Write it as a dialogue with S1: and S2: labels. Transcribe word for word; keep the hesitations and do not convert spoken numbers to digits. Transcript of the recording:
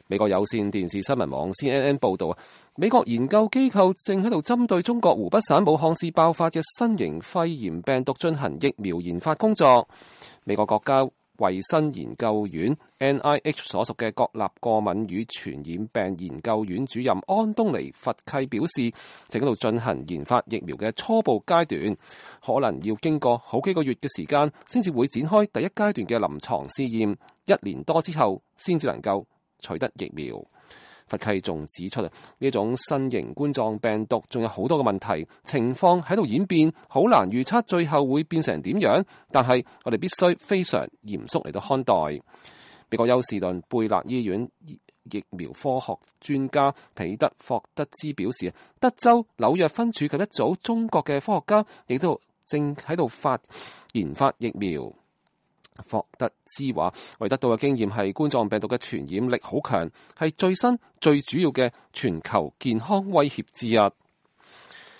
S1: 美國有線電視新聞網 C N N 報道啊，美國研究機構正喺度針對中國湖北省武漢市爆發嘅新型肺炎病毒進行疫苗研發工作。美國國家衛生研究院 N I H 所屬嘅國立過敏與傳染病研究院主任安東尼佛契表示，正喺度進行研發疫苗嘅初步階段，可能要經過好幾個月嘅時間，先至會展開第一階段嘅臨床試驗，一年多之後先至能夠取得疫苗。佛契仲指出啊，呢種新型冠狀病毒仲有好多嘅問題，情況喺度演變，好難預測最後會變成點樣。但係我哋必須非常嚴肅嚟到看待。美國休士頓貝勒醫院疫苗科學專家彼得霍德茲表示，德州紐約分處及一組中國嘅科學家亦都正喺度發研發疫苗。霍德茲話，我哋得到嘅經驗係冠狀病毒嘅傳染力好強，係最新最主要嘅全球健康威脅之一。